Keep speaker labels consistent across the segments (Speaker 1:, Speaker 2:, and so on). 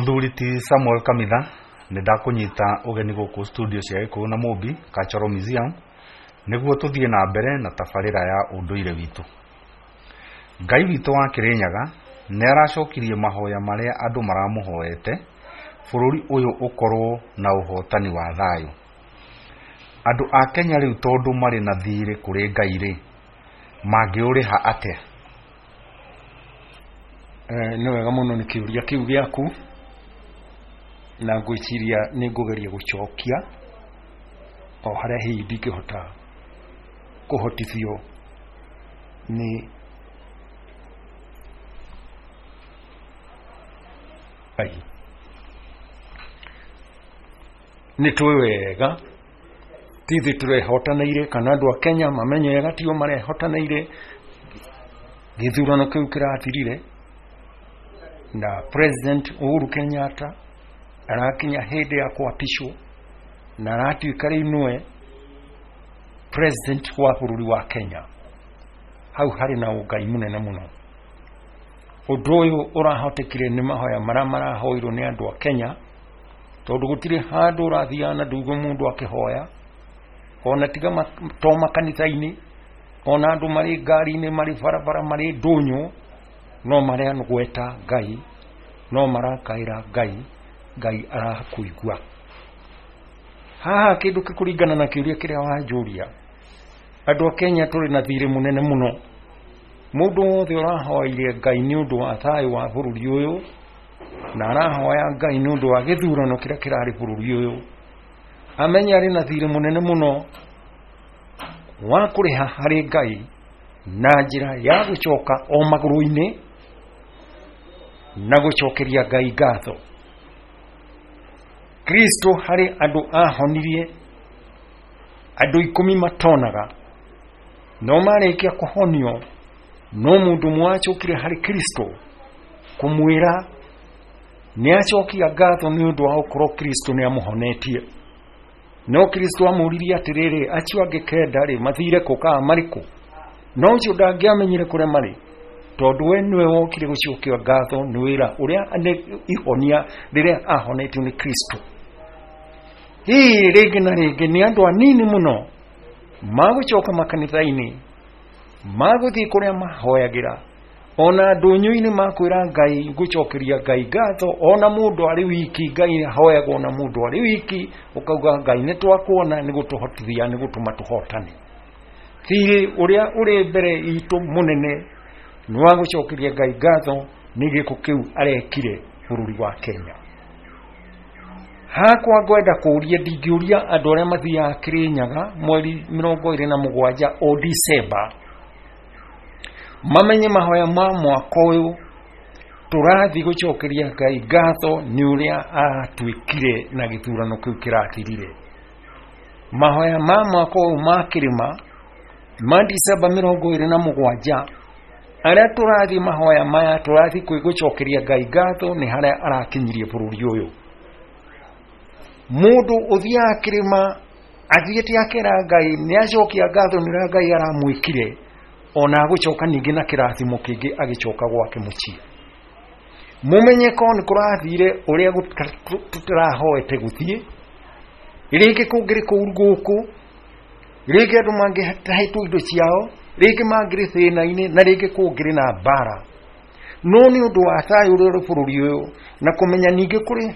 Speaker 1: Mũthuri ti Samuel Kamitha, nĩ ndakũnyita ũgeni gũkũ studio cia Gĩkũyũ na Mũmbi Cultural Museum nĩguo tũthiĩ na mbere na tabarĩra ya ũndũire witũ. Ngai witũ wa Kĩrĩnyaga nĩ aracokirie mahoya marĩa andũ maramũhoete bũrũri ũyũ ũkorwo na ũhotani wa thayũ. Andũ a Kenya rĩu tondũ marĩ na thirĩ kũrĩ Ngai rĩ, mangĩũrĩha atĩa?
Speaker 2: Nĩ wega mũno nĩ kĩũria kĩu gĩaku, na ngwĩciria nĩ ngũgeria gũcokia o harĩa hihi ndingĩhota kũhotithio nĩ Ngai. Nĩ tũĩ wega ti ithuĩ tũrehotanĩire kana andũ a Kenya mamenye wega tio marehotanĩire gĩthurano kĩu kĩrathirire na President Uhuru Kenyatta arakinya hĩndĩ ya kwapishwo na aratuĩka rĩu nĩwe president wa bũrũri wa Kenya. Hau harĩ na ũngai mũnene mũno. Ũndũ ũyũ ũrahotekire nĩ mahoya marĩa marahoirwo nĩ andũ a Kenya, tondũ gũtirĩ handũ ũrathiaga na ndũigua mũndũ akĩhoya, ona tiga to makanitha-inĩ, ona andũ marĩ ngari-inĩ, marĩ barabara, marĩ ndũnyũ, no maragweta Ngai, no marakaĩra Ngai, Ngai arakũigua. Haha kĩndũ kĩkũringana na kĩũria kĩrĩa wanjũria, andũ a Kenya tũrĩ na thirĩ mũnene mũno. Mũndũ wothe ũrahoire Ngai nĩ ũndũ wa thayũ wa bũrũri ũyũ, na arahoya Ngai nĩ ũndũ wa gĩthurano kĩrĩa kĩrarĩ bũrũri ũyũ, amenye arĩ na thirĩ mũnene mũno wa kũrĩha harĩ Ngai na njĩra ya gũcoka o magũrũ-inĩ na gũcokeria Ngai ngatho. Kristo harĩ andũ ahonirie andũ 10 matonaga, no marĩkia kũhonio no mũndũ ũmwe wacokire harĩ Kristo kũmwĩra nĩ acokia ngatho nĩ ũndũ wa gũkorwo Kristo nĩ amũhonetie. No Kristo amũririe atĩrĩrĩ, acio angĩ 9 rĩ mathire kũ kana marĩ kũ? No ũcio ndangĩamenyire kũrĩa marĩ, tondũ we nĩwe wokire gũcokia ngatho nĩ wĩra ũrĩa nĩ ihonia rĩrĩa ahonetio nĩ Kristo. Hihi rĩngĩ na rĩngĩ nĩ andũ anini mũno magũcoka makanitha-inĩ, magũthiĩ kũrĩa mahoyagĩra, ona ndũnyũ-inĩ makwĩra Ngai, ngũcokeria Ngai ngatho, ona mũndũ arĩ wiki, Ngai ahoyagwo ona mũndũ arĩ wiki, ũkauga Ngai nĩ twakuona, nĩ gũtũhotithia, nĩ gũtũma tũhotane. Thirĩ ũrĩa ũrĩ mbere itũ mũnene nĩ wa gũcokeria Ngai ngatho nĩ gĩko kĩu arekire bũrũri wa Kenya. Hakwa ngwenda kũũria, ndingĩũria andũ arĩa mathiaga Kĩrĩnyaga mweri 27 o December mamenye mahoya ma mwaka ũyũ tũrathiĩ gũcokeria Ngai ngatho nĩ ũrĩa aratwĩkire na gĩthurano kĩu kĩrathirire. Mahoya ma mwaka ũyũ ma kĩrĩma ma December 27 arĩa tũrathiĩ mahoya maya tũrathiĩ gũcokeria Ngai ngatho nĩ harĩa arakinyirie bũrũri ũyũ. Mũndũ ũthiaga kĩrĩma athiĩte akera Ngai nĩ acokia ngatho nĩ ũrĩa Ngai aramwĩkire, ona agũcoka ningĩ na kĩrathimo kĩngĩ agĩcoka gwake mũciĩ. Mũmenye korwo nĩ kũrathire ũrĩa tũtarahoete gũthiĩ, rĩngĩ kũngĩrĩ kũu gũkũ, rĩngĩ andũ mangĩtahĩtwo indo ciao, rĩngĩ mangĩrĩ thĩna-inĩ, na rĩngĩ kũngĩrĩ na mbara. No nĩ ũndũ wa thayũ ũrĩa ũrĩ bũrũri ũyũ, na kũmenya ningĩ kũrĩ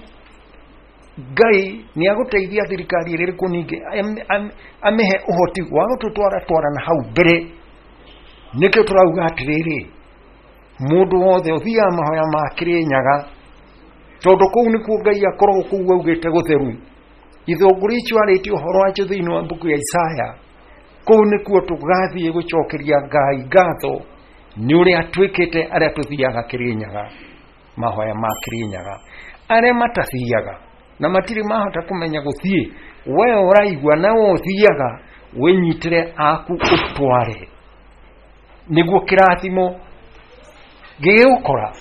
Speaker 2: Ngai nĩ agũteithia thirikari ĩrĩa ĩrĩ kuo ningĩ amĩhe ũhoti wa gũtũtwara twara na hau mbere. Nĩkĩo tũrauga atĩrĩrĩ, mũndũ wothe ũthiaga mahoya ma Kĩrĩnyaga, tondũ kũu nĩkuo Ngai akoragwo kũu augĩte gũtheru. Ithũngũri icio arĩtie ũhoro wacio thĩinĩ wa mbuku ya Isaya, kũu nĩkuo tũgathiĩ gũcokeria Ngai ngatho nĩ ũrĩa twĩkĩte arĩa tũthiaga Kĩrĩnyaga, mahoya ma Kĩrĩnyaga. Arĩa matathiaga na matirĩ mahota kũmenya gũthiĩ, we ũraigua na we ũthiaga, wĩnyitĩre aku ũtware, nĩguo kĩrathimo gĩgũkora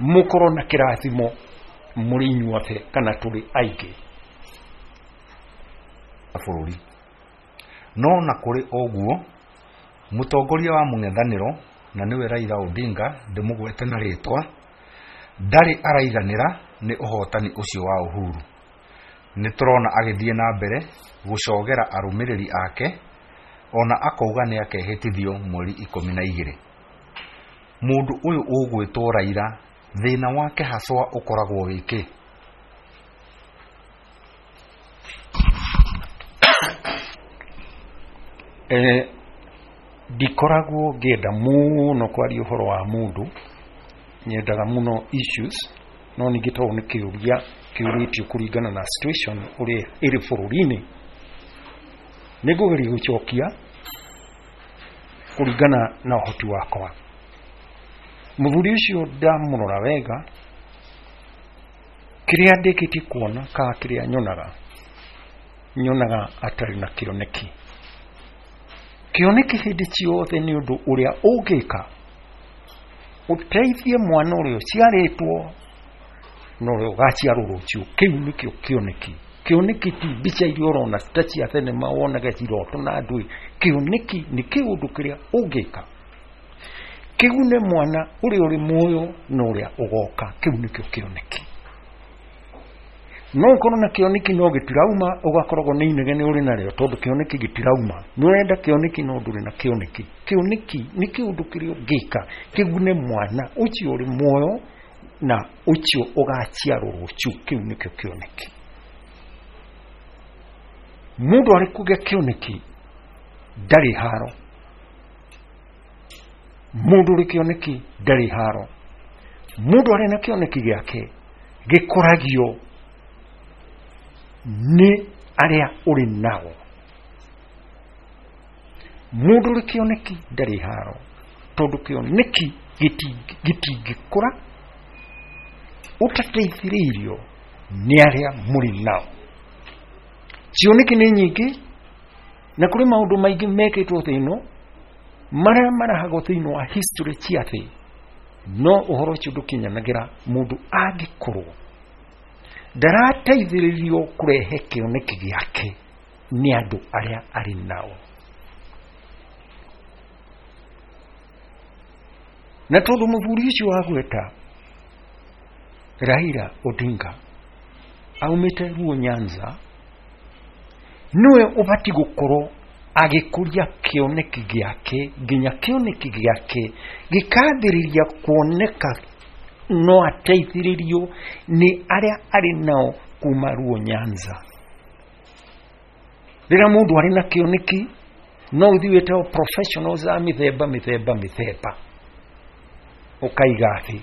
Speaker 2: mũkorwo na kĩrathimo mũrĩ inyuothe kana tũrĩ aingĩ
Speaker 1: bũrũri. No na kũrĩ ũguo, mũtongoria wa mũng'ethanĩro na nĩwe Raila Odinga, ndĩmũgwete na rĩtwa, ndarĩ araiganĩra nĩ ũhotani ũcio wa Uhuru. Nĩ tũrona agĩthiĩ na mbere gũcogera arũmĩrĩri ake ona akauga nĩ akehĩtithio mweri 12. Mũndũ ũyũ ũgwĩtwo Raila thĩna wake haswa ũkoragwo wĩkĩ?
Speaker 2: Ndikoragwo ngĩenda mũno kwaria ũhoro wa mũndũ, nyendaga mũno issues, no ningĩ tondũ nĩ kĩũria kĩũrĩtio kũringana na situation ũrĩa ĩrĩ bũrũri-inĩ, nĩ ngũgeria gũcokia kũringana na ũhoti wakwa. Mũthuri ũcio ndamũrora wega, kĩrĩa ndĩkĩtie kuona kana kĩrĩa nyonaga, nyonaga atarĩ na kĩoneki. Kĩoneki hĩndĩ ciothe nĩ ũndũ ũrĩa ũngĩka ũteithie mwana ũrĩa ũciarĩtwo na ũrĩa ũgaciarwo rũciũ. Kĩu nĩkĩo kĩoneki. Kĩoneki ti mbica iria ũrona ta cia thenema wonage ciroto na ndũĩ. Kĩoneki nĩ kĩũndũ kĩrĩa ũngĩka kĩgune mwana ũrĩa ũrĩ muoyo na ũrĩa ũgoka. Kĩu nĩkĩo kĩoneki. No ũkorwo na kĩoneki no gĩtirauma, ũgakoragwo nĩ inegene ũrĩ narĩo tondũ kĩoneki gĩtirauma. Nĩ ũrenda kĩoneki no ndũrĩ na kĩoneki. Kĩoneki nĩ kĩũndũ kĩrĩa ũngĩka kĩgune mwana ũcio ũrĩ muoyo na ũcio ũgaciarwo rũciũ. Kĩu nĩkĩo kĩoneki. Mũndũ arĩ kũgĩa kĩoneki ndarĩ haro. Mũndũ ũrĩ kĩoneki ndarĩ haro. Mũndũ arĩ na kĩoneki gĩake gĩkũragio nĩ arĩa ũrĩ nao. Mũndũ ũrĩ kĩoneki ndarĩ haro, tondũ kĩoneki gĩtingĩkũra ũtateithĩrĩirio nĩ arĩa mũrĩ nao. Cioneki nĩ nyingĩ na kũrĩ maũndũ maingĩ mekĩtwo thĩ ĩno marĩa marahagwo thĩinĩ wa history cia thĩ, no ũhoro ũcio ndũkinyanagĩra mũndũ angĩkorwo ndarateithĩrĩrio kũrehe kĩoneki gĩake nĩ andũ arĩa arĩ nao. Na tondũ mũthuri ũcio wagweta Raila Odinga aumĩte Luo Nyanza, nĩwe ũbatiĩ gũkorwo agĩkũria kĩoneki gĩake nginya kĩoneki gĩake gĩkambĩrĩria kuoneka no ateithĩrĩrio nĩ arĩa arĩ nao kuma Luo Nyanza. Rĩrĩa mũndũ arĩ na kĩoneki no ũthiĩ wĩte professionals a mĩthemba mĩthemba mĩthemba, ũkaiga thĩ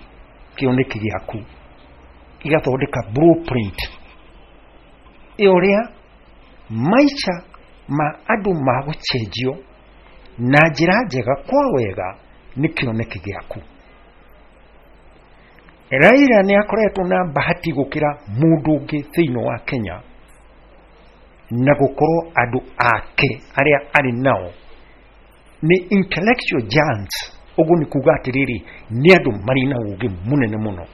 Speaker 2: kĩoneki gĩaku, igathondeka blueprint ya ũrĩa maica ma andũ magũcenjio na njĩra njega kwa wega nĩ kĩoneki gĩaku. Raila nĩ akoretwo na bahati gũkĩra mũndũ ũngĩ thĩinĩ wa Kenya, na gũkorwo andũ ake arĩa arĩ nao nĩ intellectual giants. Ũguo nĩ kuga atĩrĩrĩ, nĩ andũ marĩ na ũũgĩ mũnene mũno.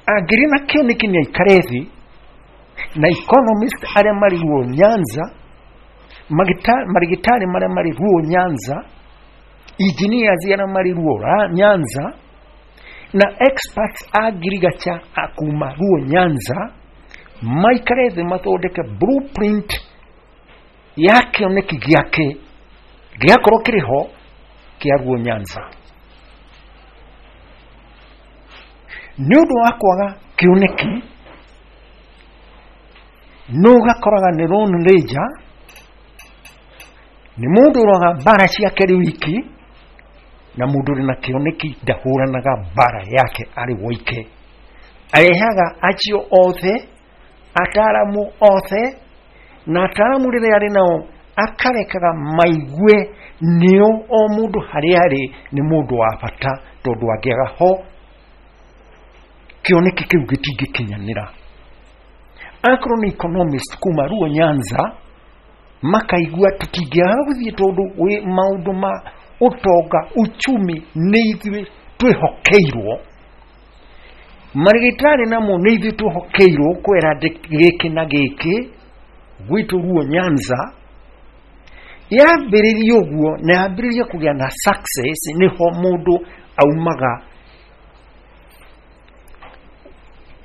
Speaker 2: Angĩrĩ na kĩoneki nĩ aikare thĩ na economist arĩa marĩ Luo Nyanza, marigitari marĩa marĩ Luo Nyanza, engineers arĩa marĩ Luo Nyanza, na experts a ngirigacha a kuma Luo Nyanza, maikare thĩ mathondeke blueprint ya kĩoneki gĩake gĩakorwo kĩrĩ ho kĩa Luo Nyanza. Nĩ ũndũ wa kwaga kĩoneki, nĩ ũgakoraga nĩ Lone Ranger, nĩ mũndũ ũroga mbara ciake rĩ wiki, na mũndũ ũrĩ na kĩoneki ndahũranaga mbara yake arĩ woike. Arehaga acio othe, ataaramu othe, na ataaramu rĩrĩa arĩ nao akarekaga maigue nĩo o mũndũ harĩa arĩ nĩ mũndũ wa bata, tondũ angĩaga ho kĩoneki kĩu gĩtingĩkinyanĩra. Akorwo nĩ economist kuma Luo Nyanza, makaigua tũtingĩaga gũthiĩ tondũ wĩ maũndũ ma ũtonga uchumi nĩ ithuĩ twĩhokeirwo, marigitari namo nĩ ithuĩ twĩhokeirwo kwera gĩkĩ na gĩkĩ gwitũ Luo Nyanza. Yambĩrĩria ũguo na yambĩrĩria kũgĩa na success, nĩho mũndũ aumaga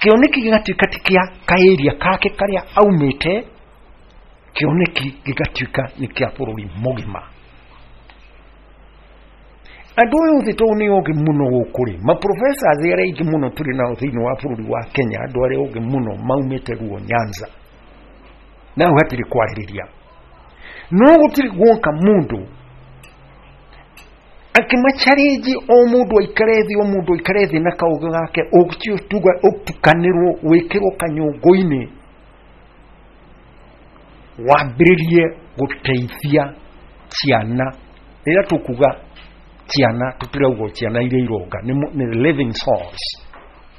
Speaker 2: Kĩoneki gĩgatuĩka ti kĩa kaĩria kake karĩa aumĩte, kĩoneki gĩgatuĩka nĩ kĩa bũrũri mũgima. Andũ aya othe tondũ nĩ ogĩ mũno gũkũ rĩ, maprofessors arĩa aingĩ mũno tũrĩ nao thĩinĩ wa bũrũri wa Kenya, andũ arĩa ogĩ mũno maumĩte Luo Nyanza, na hau hatirĩ kwarĩrĩria. No gũtirĩ guoka mũndũ akĩmacarĩnji, o mũndũ aikare thĩ, o mũndũ aikare thĩ na kaũgĩ gake, ũcio tuga ũtukanĩrwo wĩkĩrwo kanyũngũ-inĩ, wambĩrĩrie gũteithia ciana. Rĩrĩa tũkuga ciana, tũtirauga ciana iria ironga, nĩ living souls,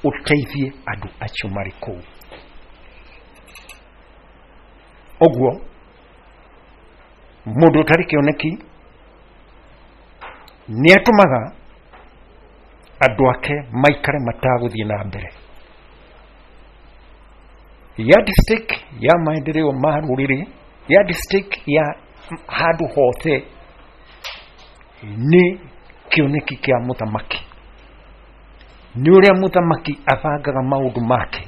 Speaker 2: ũteithie andũ acio marĩ kũu. Ũguo mũndũ ũtarĩ kĩoneki nĩ atũmaga andũ ake maikare matagũthiĩ na mbere. Yardstick ya maendeleo ma rũrĩrĩ, yardstick ya handũ hothe nĩ kĩoneki kĩa mũthamaki, nĩ ũrĩa mũthamaki abangaga maũndũ make,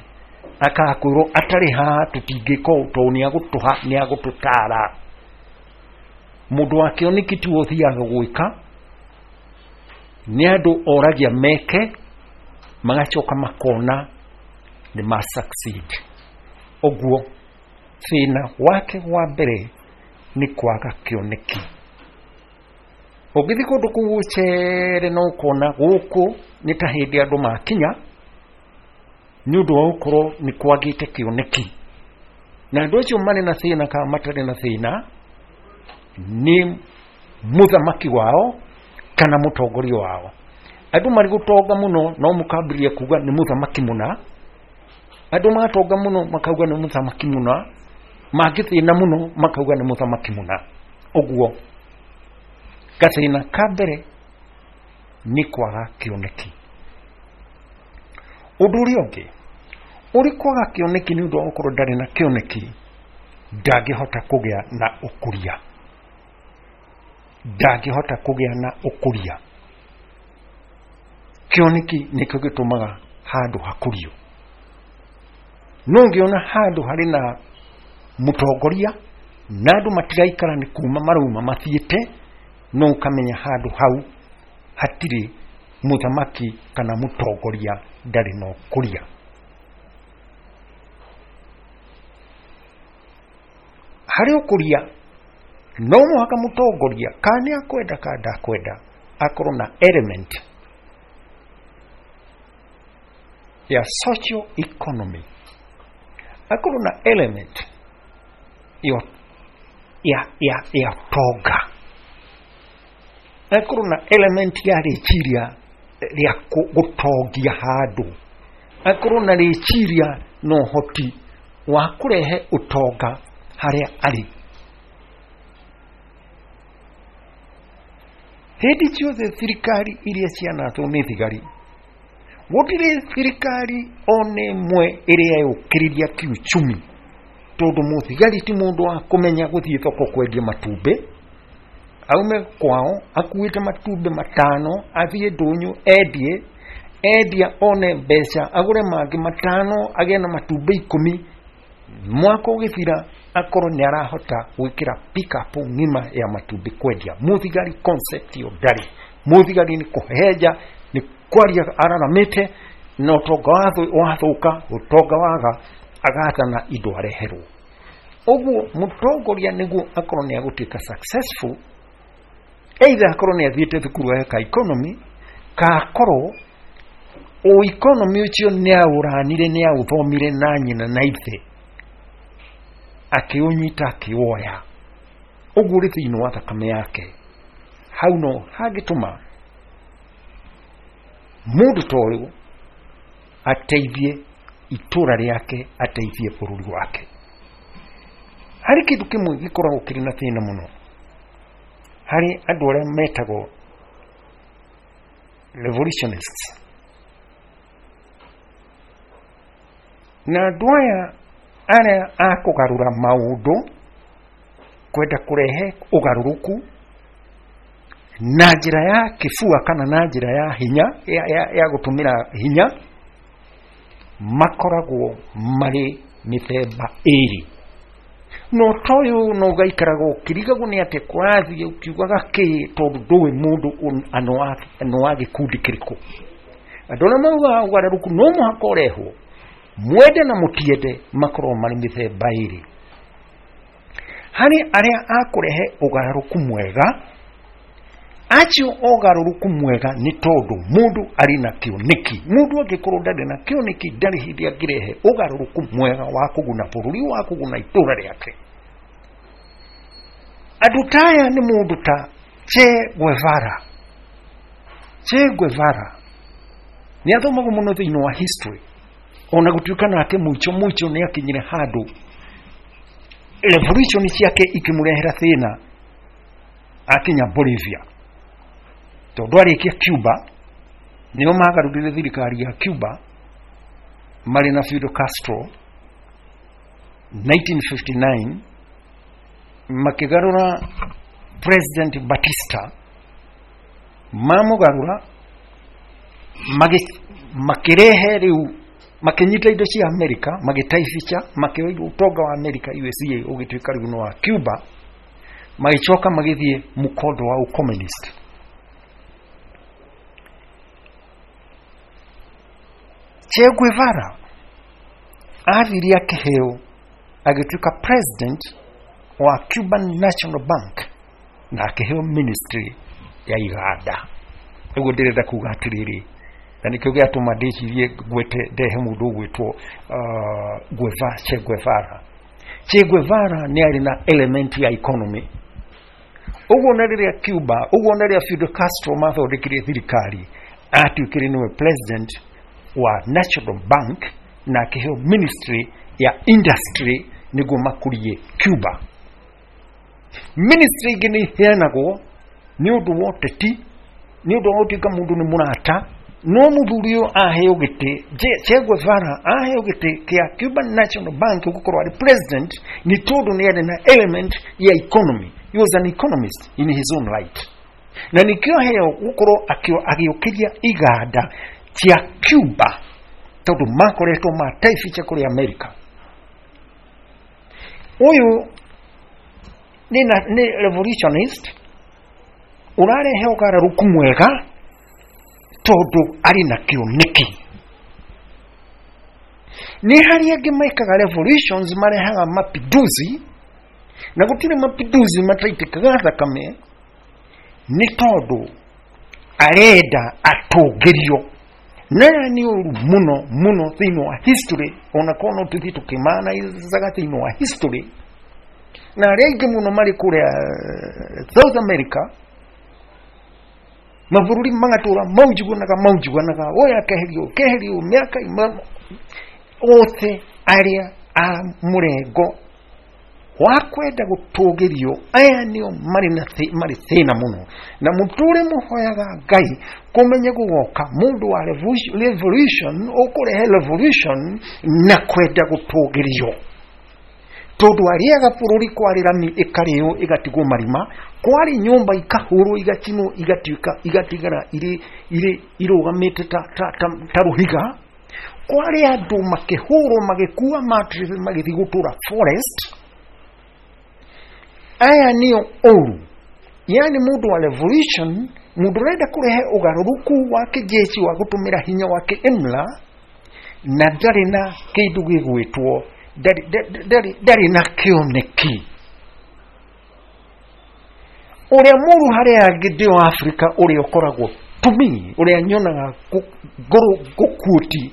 Speaker 2: akakwĩrwo atarĩ haha tũtingĩka ũũ tondũ nĩ agũtũha, nĩ agũtũtara. Mũndũ wa kĩoneki tiwe ũthiaga gwĩka, nĩ andũ oragia meke, magacoka makona nĩ ma succeed. Ũguo thĩna wake wa mbere nĩ kwaga kĩoneki. Ũngĩthiĩ kũndũ kũu ũcere no ũkona gũkũ nĩ ta hĩndĩ andũ makinya, nĩ ũndũ wa gũkorwo nĩ kwagĩte kĩoneki, na andũ acio marĩ na thĩna kana matarĩ na thĩna nĩ mũthamaki wao kana mũtongoria wao. Andũ marĩ gũtonga mũno no mũkambĩrĩria kuga nĩ mũthamaki mũna, andũ matonga mũno makauga nĩ mũthamaki mũna, mangĩthĩna mũno makauga nĩ mũthamaki mũna. Ũguo gathĩna ka mbere nĩ kwaga kĩoneki. Ũndũ ũrĩa ũngĩ ũrĩ kwaga kĩoneki, nĩ ũndũ wa gũkorwo ndarĩ na kĩoneki, ndangĩhota kũgĩa na ũkũria, ndangĩhota kũgĩa na ũkũria. Kĩoneki nĩkĩo gĩtũmaga handũ hakũrio. No ũngĩona handũ harĩ na mũtongoria na andũ matiraikara nĩ kuma marauma mathiĩte, no ũkamenya handũ hau hatirĩ mũthamaki kana mũtongoria, ndarĩ na ũkũria. Harĩ ũkũria no mũhaka mũtongoria, kana nĩ akwenda kana ndakwenda, akorwo na element ya social economy, akorwo na element ya tonga, akorwo na element ya rĩciria rĩa gũtongia handũ, akorwo na rĩciria na ũhoti wa kũrehe ũtonga harĩa arĩ. Hĩndĩ ciothe thirikari iria cianathwo nĩ thigari, gũtirĩ thirikari ona ĩmwe ĩrĩa yũkĩrĩria kiuchumi, tondũ mũthigari ti mũndũ wa kũmenya gũthiĩ thoko kwendia matumbĩ, aume kwao akuĩte matumbĩ 5 athiĩ ndũnyũ endie, endia one mbeca agũre mangĩ 5 agĩe na matumbĩ 10, mwaka ũgĩthira akorwo nĩ arahota gwĩkĩra pick-up ng'ima ya matumbĩ kwendia. Mũthigari concept ĩyo ndarĩ. Mũthigari nĩ kũhehenja, nĩ kwaria araramĩte, na ũtonga wathũka, ũtonga waga, agathana indo areherwo. Ũguo mũtongoria nĩguo akorwo nĩ agũtuĩka successful, either akorwo nĩ athiĩte thukuru eka economy, ka akorwo o economy ũcio nĩ aũranire, nĩ aũthomire na nyina na ithe, akĩũnyita akĩwoya, ũguo ũrĩ thĩinĩ wa thakame yake. Hau no hangĩtũma mũndũ ta ũyũ ateithie itũra rĩake, ateithie bũrũri wake. Harĩ kĩndũ kĩmwe gĩkoragwo kĩrĩ na thĩna mũno harĩ andũ arĩa metagwo revolutionists, na andũ aya arĩa a kũgarũra maũndũ, kwenda kũrehe ũgarũrũku na njĩra ya kĩbua kana na njĩra ya hinya, ya gũtũmĩra hinya, Makoragwo marĩ mĩthemba ĩrĩ. No toyũ no ũgaikaraga ũkĩrigagwo nĩ atĩ kũrathiĩ ũkiugaga kĩ, tondũ ndũĩ mũndũ nĩ wa gĩkundi kĩrĩkũ. Andũ arĩa maugaga ũgarũrũku no mũhaka ũrehwo, mwende na mũtiende, makorwo marĩ mĩthemba ĩrĩ. Harĩ arĩa a kũrehe ũgarũrũku mwega, acio ũgarũrũku mwega nĩ tondũ mũndũ arĩ na kĩoneki. Mũndũ angĩkorwo ndarĩ na kĩoneki, ndarĩ hĩndĩ angĩrehe ũgarũrũku mwega wa kũguna bũrũri, wa kũguna itũra rĩake. Andũ ta aya nĩ mũndũ ta Che Guevara. Che Guevara nĩ athomagwo mũno thĩinĩ wa history, ona gũtuĩka nake mũico mũico nĩ akinyire handũ revolution ciake ikĩmũrehera thĩna akinya Bolivia, tondũ arĩkia Cuba nĩo magarũrire thirikari ya Cuba marĩ na Fidel Castro 1959, makĩgarũra President Batista, mamũgarũra makĩrehe rĩu makĩnyita indo cia Amerika, magĩtaibica, makĩoya ũtonga wa Amerika USA ũgĩtuĩka rĩu nĩ wa Cuba, magĩcoka magĩthiĩ mũkondo wa ũcommunist. Che Guevara athire akĩheo agĩtuĩka president wa Cuban National Bank na akĩheo ministry ya iganda. Ũguo ndĩrenda kuga atĩrĩrĩ, na nĩkĩo gĩatũma ndĩcirie ngwete ndehe mũndũ ũgwĩtwo Che Guevara. Che Guevara nĩ arĩ na element ya economy. Ũguo na rĩrĩa Cuba, ũguo na rĩrĩa Fidel Castro mathondekire thirikari, atuĩkire nĩwe president wa National Bank na akĩheo ministry ya industry nĩguo makũrie Cuba. Ministry ingĩ nĩ iheanagwo nĩ ũndũ wa ũteti, nĩ ũndũ wa gũtuĩka mũndũ nĩ mũrata, no mũthuri ũyũ aheo gĩtĩ, Che Guevara aheo gĩtĩ kĩa Cuban National Bank gũkorwo arĩ president nĩ tondũ nĩ arĩ na element ya economy. He was an economist in his own right. Na nĩkĩo aheo gũkorwo agĩũkĩria iganda cia Cuba tondũ makoretwo mataibica kũrĩ America. Ũyũ nĩ revolutionist ũrarehe ũgarũrũku mwega tondũ arĩ na kĩoneki. Nĩ harĩ angĩ mekaga revolutions marehaga mapinduzi, na gũtirĩ mapinduzi mataitĩkaga thakame, nĩ tondũ arenda atũngĩrio. Na aya nĩ ũru mũno mũno thĩinĩ wa history, ona korwo no tũthiĩ tũkĩmanaizaga thĩinĩ wa history, na arĩa aingĩ mũno marĩ kũrĩa South America, mabũrũri magatũra maunjuganaga maunjuganaga, ũyũ akeherio keherio mĩaka othe arĩa a mũrengo wa kwenda gũtũgĩrio, aya nĩo marĩ na marĩ thĩna mũno, na mũtũre mũhoyaga Ngai kũmenye gũgoka mũndũ wa revolution ũkũrehe revolution na kwenda gũtũgĩrio, tondũ arĩaga bũrũri kwarĩ rami ĩkarĩo ĩgatigwo marima, kwarĩ nyũmba ikahũrwo igacinwo igatuĩka igatigara irĩ irĩ irũgamĩte ta rũhiga, kwarĩ andũ makĩhũrwo magĩkua mattress magĩthiĩ gũtũra forest. Aya nĩo ũru, yani mũndũ wa revolution, mũndũ ũrenda kũrehe ũgarũrũku wa kĩjeshi wa gũtũmĩra hinya wa kĩimla, na ndarĩ na kĩndũ gĩgwĩtwo ndarĩ na kĩoneki. Ũrĩa mũru harĩ angĩ ndĩ wa Afrika ũrĩa ũkoragwo to me, ũrĩa nyonaga ngũkuoti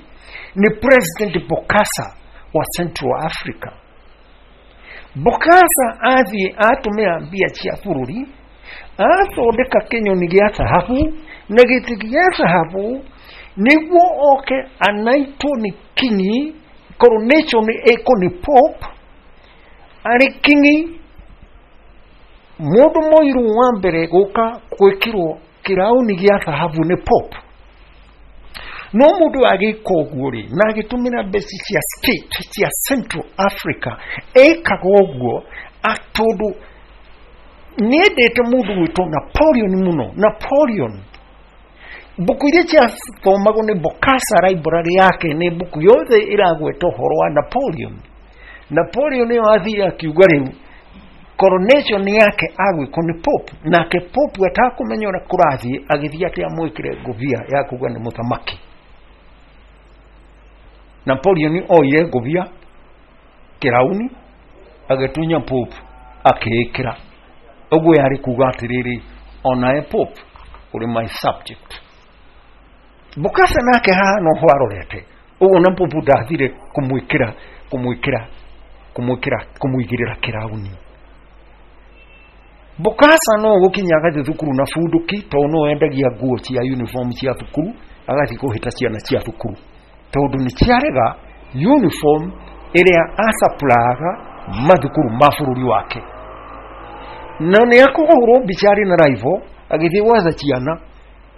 Speaker 2: nĩ President Bokassa wa Central Africa. Bokassa athiĩ atũmĩra mbia cia bũrũri athondeka kĩnyoni gĩa thahabu na gĩtĩ gĩa thahabu nĩguo oke anaitwo nĩ kingi, coronation ĩkwo nĩ Pope arĩ kingi, mũndũ mũirũ wa mbere gũka gwĩkĩrwo kĩraũni gĩa thahabu nĩ Pope. No mũndũ agĩka ũguo rĩ, na agĩtũmĩra mbeca cia state cia Central Africa, ekaga ũguo tondũ nĩendete mũndũ gwĩtwo Napoleon mũno. Napoleon Mbuku iria ciathomagwo nĩ Bokassa library yake nĩ mbuku yothe ĩragweta ũhoro wa Napoleon. Napoleon nĩyo athire akiuga rĩu coronation yake agwĩkwo nĩ Pope, nake Pope atakũmenya ũrĩa kũrathiĩ agĩthiĩ atĩ amwĩkĩre ngũbia ya kuga nĩ mũthamaki. Napoleon oire ngũbia kĩrauni agĩtunya Pope akĩĩkĩra. Ũguo yarĩ kuga atĩrĩrĩ, onawe Pope ũrĩ my subject. Bokassa nake haha no ho arorete ũguo, na Pope ndathire kũmwĩkĩra kũmwĩkĩra kũmwĩkĩra kũmũigĩrĩra kĩrauni. Bokassa no gũkinya agathiĩ thukuru na bunduki, tondũ no endagia nguo cia uniform cia thukuru, agathiĩ kũhĩta ciana cia thukuru tondũ nĩ ciarega uniform ĩrĩa acapuraga mathukuru ma bũrũri wake. Na nĩ akũhũrwo mbica arĩ na rifle agĩthiĩ gwetha ciana,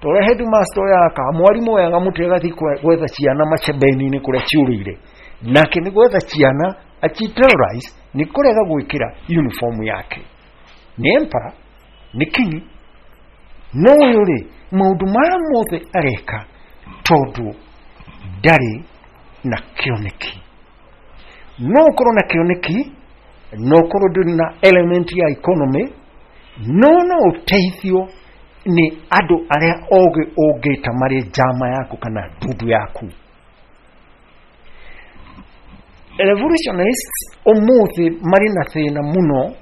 Speaker 2: torĩa headmaster oyaga mwarimũ oyaga mũtĩ agathiĩ gwetha ciana macebeni-inĩ kũrĩa ciũrĩire, nake nĩ gwetha ciana achi terrorize nĩ kũrega gwĩkĩra uniform yake. Nĩ emperor, nĩ king, no ũyũ rĩ, maũndũ maya mothe areka tondũ ndarĩ na kĩoneki. No ũkorwo na kĩoneki, no ũkorwo ndũrĩ na element ya economy, no no ũteithio nĩ andũ arĩa ogĩ ũngĩta marĩ njama yaku kana ndundu yaku. Revolutionists ũmũthĩ marĩ na thĩna mũno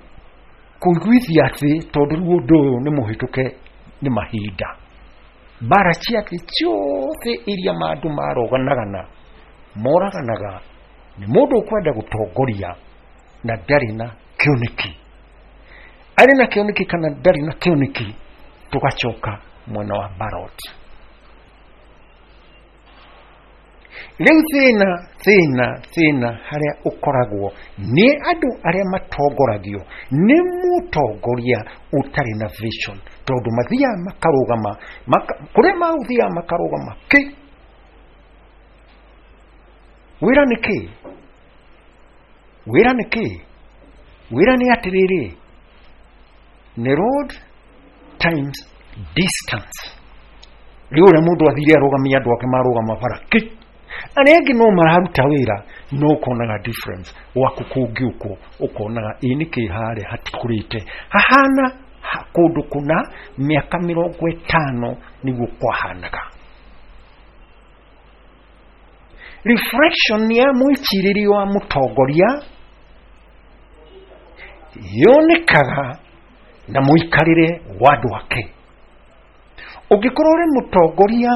Speaker 2: kũiguithia thĩ, tondũ rĩu ũndũ ũyũ nĩ mũhĩtũke nĩ mahinda. Mbara cia thĩ ciothe iria andũ maroganagana moraganaga nĩ mũndũ ũkwenda gũtongoria na ndarĩ na kĩoneki. Arĩ na kĩoneki kana ndarĩ na kĩoneki, tũgacoka mwena wa ballot. Rĩu thĩna thĩna thĩna harĩa ũkoragwo nĩ andũ arĩa matongoragio nĩ mũtongoria ũtarĩ na vision, tondũ mathiaga makarũgama kũrĩa magũthiaga makarũgama kĩ wĩra nĩ kĩ wĩra nĩ kĩ wĩra nĩ atĩrĩrĩ, nĩ road times distance. Rĩu ũrĩa mũndũ athire arũgamia andũ ake marũgama bara kĩ, arĩa angĩ no mararuta wĩra, no ũkonaga difference gwaku kũngĩũkwo ũkonaga ĩ nĩkĩ harĩa hatikũrĩte hahana kũndũ kũna mĩaka 50 nĩguo kwahanaga. Reflection ya mwĩcirĩrio wa mũtongoria yonekaga na mũikarĩre wa andũ ake. Ũngĩkorwo ũrĩ mũtongoria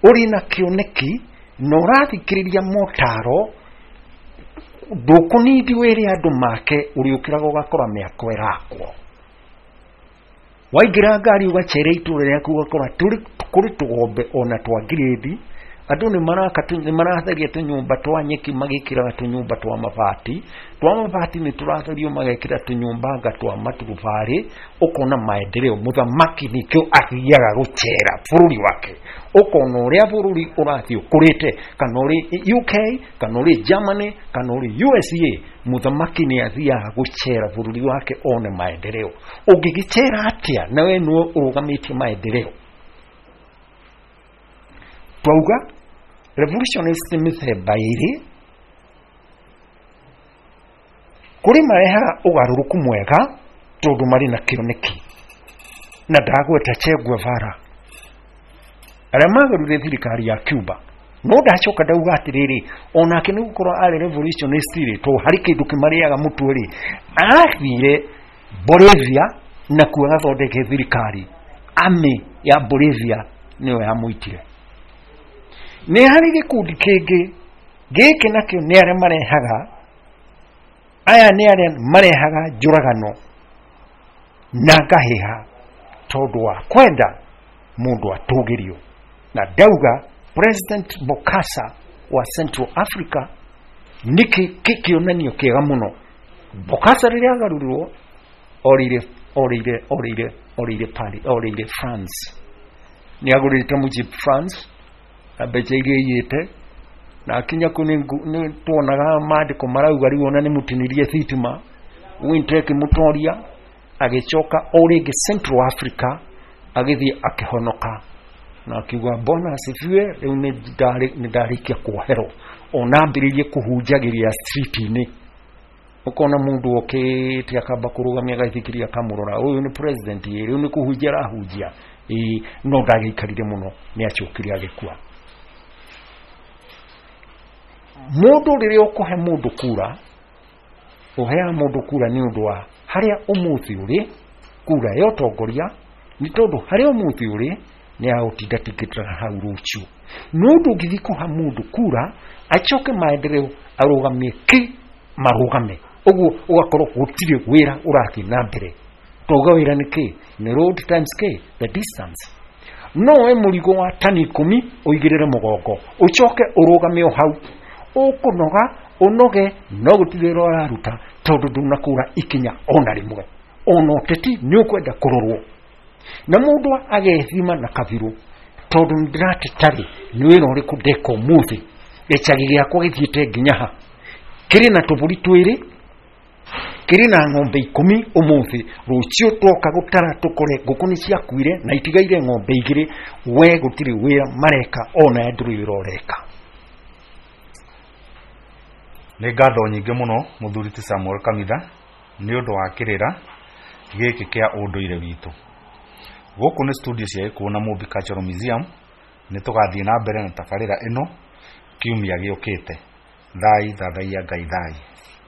Speaker 2: ũrĩ na kĩoneki na ũrathikĩrĩria motaro, ndũkũnindi wĩre andũ make, ũrĩũkĩraga ũgakora mĩako ĩrakwo. Waingĩra ngari ũgacere itũra rĩaku ũgakora kũrĩ tũgombe ona twa ngirĩndi, andũ nĩ maratheria tũnyũmba twa nyeki magĩkĩraga tũnyũmba twa mabati, twa mabati nĩ tũratherio magekĩra tũnyũmba anga twa maturubarĩ, ũkona maendeleo. Mũthamaki nĩkĩo athiaga gũcera bũrũri wake, ũkona ũrĩa bũrũri ũrathiĩ ũkũrĩte, kana ũrĩ UK kana ũrĩ Germany kana ũrĩ USA, mũthamaki nĩ athiaga gũcera bũrũri wake one maendeleo. Ũngĩgĩcera atĩa na we nĩwe ũrũgamĩtie maendeleo? Twauga revolutionist nĩ mĩthemba ĩrĩ, kũrĩ marehaga ũgarũrũku mwega tondũ marĩ na kĩoneki, na ndagweta Che Guevara arĩa magarũrire thirikari ya Cuba, no ndacoka ndauga atĩrĩrĩ, onake nĩ gũkorwo arĩ revolutionist rĩ, tondũ harĩ kĩndũ kĩmarĩaga mũtwe rĩ, athire Bolivia na kuo agathondeke thirikari. Army ya Bolivia nĩyo yamũitire. Nĩ harĩ gĩkundi kĩngĩ gĩkĩ nakĩo nĩ arĩa marehaga, aya nĩ arĩa marehaga njũragano na ngahĩha tondũ wa kwenda mũndũ atũgĩrio. Na ndauga President Bokassa wa Central Africa nĩ kĩonanio kĩega mũno. Bokassa rĩrĩa agarũrirwo orĩire orĩire orĩire orĩire Paris, orĩire France, nĩ agũrĩte mũciĩ France na mbeca iria aiyĩte, na akinya kũu nĩ tuonaga mandĩko marauga rĩu ona nĩ mũtinirie thitima, winter ĩkĩmũtoria, agĩcoka o rĩngĩ Central Africa agĩthiĩ akĩhonoka. Na akiuga Bwana asifiwe, rĩu nĩ ndarĩkia kuoherwo. Ona ambĩrĩirie kũhunjagĩria street-inĩ, ũkona mũndũ okĩte akamba kũrũgamia agaithikiria akamũrora, ũyũ nĩ president, ĩ rĩu nĩ kũhunjia arahunjia, ĩ no ndagĩikarire mũno, nĩ acokire agĩkua. Mũndũ rĩrĩa ũkũhe mũndũ kura, ũheaga mũndũ kura nĩ ũndũ wa harĩa ũmũthĩ ũrĩ, kura ya ũtongoria, nĩ tondũ harĩa ũmũthĩ ũrĩ nĩ agũtindatingĩtĩra hau rũciũ. No ndũngĩthiĩ kũha mũndũ kura acoke maendeleo arũgamie ki marũgame ũguo, ũgakorwo gũtirĩ wĩra ũrathiĩ na mbere. Twauga wĩra nĩ kĩ? Nĩ road times k the distance. No we mũrigo wa tani 10 ũigĩrĩre mũgongo, ũcoke ũrũgame o hau, ũkũnoga ũnoge, no gũtirĩ wĩra ũraruta tondũ ndũnakũra ikinya ona rĩmwe. Ona ũteti nĩ ũkwenda kũrorwo na mũndũ agethima na kabirũ, tondũ nĩndĩratetarĩ nĩ wĩra ũrĩkũ ndeka ũmũthĩ, gĩcagi gĩakwa gĩthiĩte nginya ha, kĩrĩ na tũbũri twĩrĩ, kĩrĩ na ng'ombe 10 ũmũthĩ, rũciũ twoka gũtara tũkore ngũkũ nĩ ciakuire na itigaire ng'ombe 2. We gũtirĩ wĩra mareka, ona ndũrĩ wĩra ũreka.
Speaker 1: Nĩ ngatho nyingĩ mũno mũthuri ti Samuel Kamitha nĩ ũndũ wa kĩrĩra gĩkĩ kĩa ũndũire witũ. Gũkũ nĩ studio cia Gĩkũyũ na Mũmbi Cultural Museum. Nĩ tũgathiĩ na mbere na tabarĩra ĩno kiumia gĩũkĩte. Thai thathaiya Ngai thai.